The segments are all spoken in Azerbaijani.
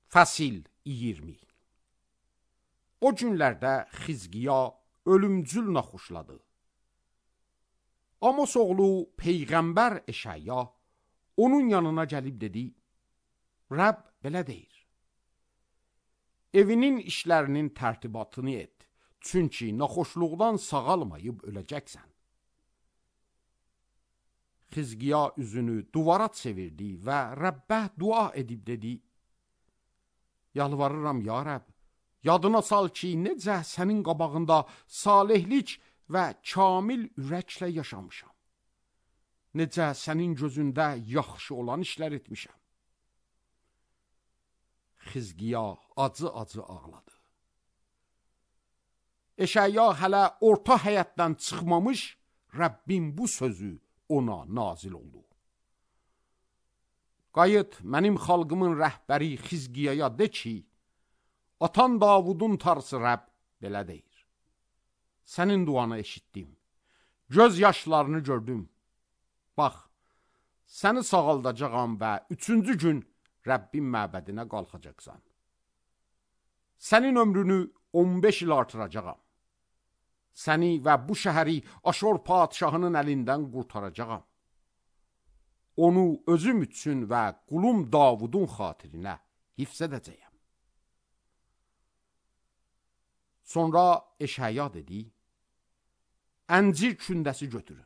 Fəsil 20. O günlərdə Xizqiya ölümcül naxoşladı. Amos oğlu Peyğəmbər Eşaya onun yanına gəlib dedi, Rəbb belə deyir, evinin işlərinin tərtibatını et, çünki naxoşluqdan sağalmayıb öləcəksən. Xizqiya üzünü duvara çevirdi və Rəbbə dua edib dedi, yalvarıram ya Rəbb, yadına sal ki, necə sənin qabağında salihlik və kamil ürəklə yaşamışam. Necə sənin gözündə yaxşı olan işlər etmişəm. Xizqiya acı-acı ağladı. Eşaya hələ orta həyətdən çıxmamış, Rəbbin bu sözü ona nazil oldu. Qayıt, mənim xalqımın rəhbəri Xizqiyaya de ki, atan Davudun tarsı Rəbb belə deyir. Sənin duanı eşitdim, göz yaşlarını gördüm. Bax, səni sağaldacağam və 3-cü gün Rəbbin məbədinə qalxacaqsan. Sənin ömrünü 15 il artıracağam. Səni və bu şəhəri Aşur padişahının əlindən qurtaracağam. Onu özüm üçün və qulum Davudun xatirinə hifz edəcəyəm. Sonra Eşaya dedi, əncir kündəsi götürün.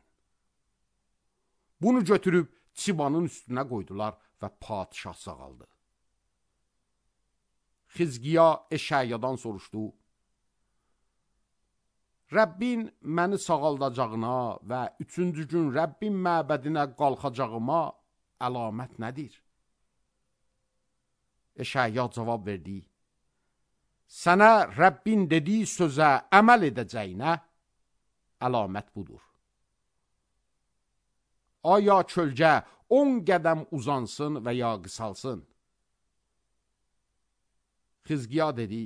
Bunu götürüb çibanın üstünə qoydular və padişah sağaldı. Xizqiya Eşayadan soruşdu, Rəbbin məni sağaldacağına və 3-cü gün Rəbbin məbədinə qalxacağıma əlamət nədir? Eşaya cavab verdi, sənə Rəbbin dediyi sözə əməl edəcəyinə əlamət budur. Aya çölgə 10 qədəm uzansın və ya qısalsın? Xizqiya dedi,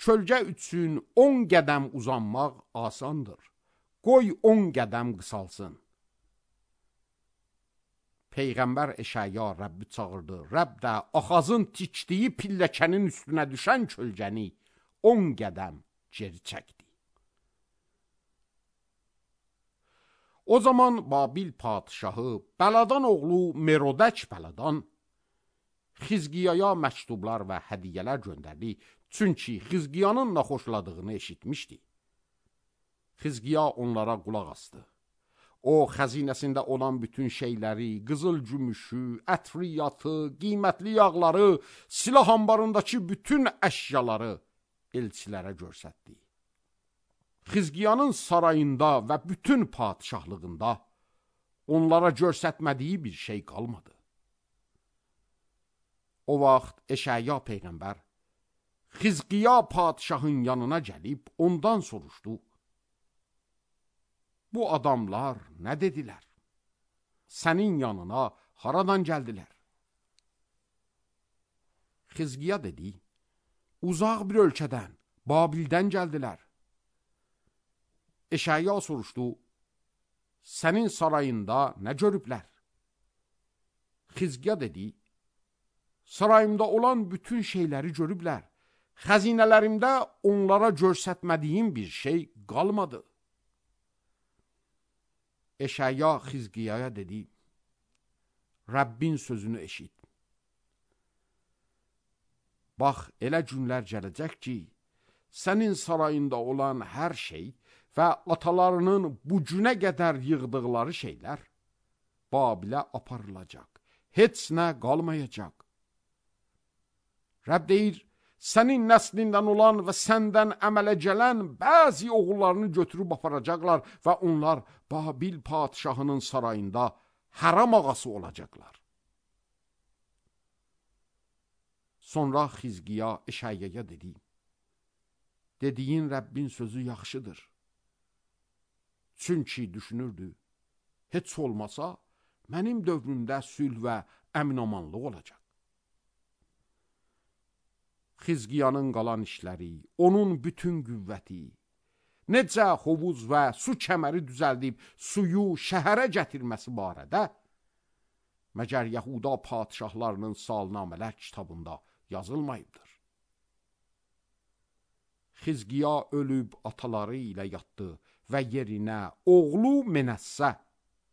çölgə üçün 10 qədəm uzanmaq asandır. Qoy 10 qədəm qısalsın. Peyğəmbər Eşaya Rəbbi çağırdı. Rəbb də Axazın tikdiyi pilləkənin üstünə düşən çölgəni 10 qədəm geri çəkdi. O zaman Babil padişahı Bəladan oğlu Merodək Bəladan Xizqiyaya məktublar və hədiyyələr göndərdi. Çünki Xizqiyanın naxoşladığını eşitmişdi. Xizqiya onlara qulaq asdı. O, xəzinəsində olan bütün şeyləri, qızıl gümüşü, ətriyyatı, qiymətli yağları, silah ambarındakı bütün əşyaları elçilərə göstərdi. Xizqiyanın sarayında və bütün padişahlığında onlara göstərmədiyi bir şey qalmadı. O vaxt Eşaya Peyğəmbər Xizqiya padişahın yanına gəlib ondan soruşdu. Bu adamlar nə dedilər? Sənin yanına haradan gəldilər? Xizqiya dedi, uzaq bir ölkədən, Babildən gəldilər. Eşaya soruşdu, sənin sarayında nə görüblər? Xizqiya dedi, sarayımda olan bütün şeyləri görüblər. Xəzinələrimdə onlara göstərmədiyim bir şey qalmadı. Eşaya Xizqiyaya dedi, Rəbbin sözünü eşit. Bax, elə günlər gələcək ki, sənin sarayında olan hər şey və atalarının bu günə qədər yığdıqları şeylər Babilə aparılacaq. Heç nə qalmayacaq. Rəbb deyir, sənin nəslindən olan və səndən əmələ gələn bəzi oğullarını götürüb aparacaqlar və onlar Babil padişahının sarayında haram ağası olacaqlar. Sonra Xizqiya Eşayaya dedi, dediyin Rəbbin sözü yaxşıdır. Çünki düşünürdü, heç olmasa mənim dövrümdə sülh və əmin-amanlıq olacaq. Xizqiyanın qalan işləri, onun bütün qüvvəti, necə hovuz və su kəməri düzəldib suyu şəhərə gətirməsi barədə məgər Yahuda padişahlarının salnamələr kitabında yazılmayıbdır. Xizqiya ölüb ataları ilə yatdı və yerinə oğlu Menəssə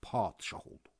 padişah oldu.